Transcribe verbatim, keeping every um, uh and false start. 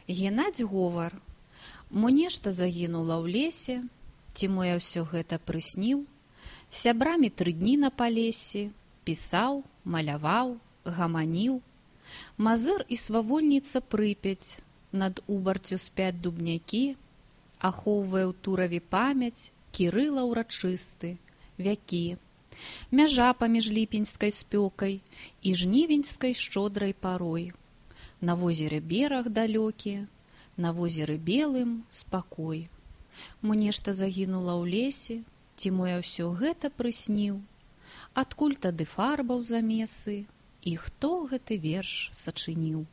Генадзь говор: мо нешта загінула ў лесе, ці мо я ўсё гэта прысніў, сябрамі тры дні на палесе, пісаў, маляваў, гаманіў. Мазыр і свавольніца Прыпяць, над убарцю спяць дубнякі, ахоўвае ў Тураве памяць Кірыла ўрачысты, вякі. Мяжа паміж ліпеньскай спёкай і жнівеньскай шчодрай парой. На возеры бераг далёкі, на возеры белым спакой. Мо нешта загінула ў лесе, ці мо я ўсё гэта прысніў, адкуль тады фарбаў замесы, і хто гэты верш сачыніў.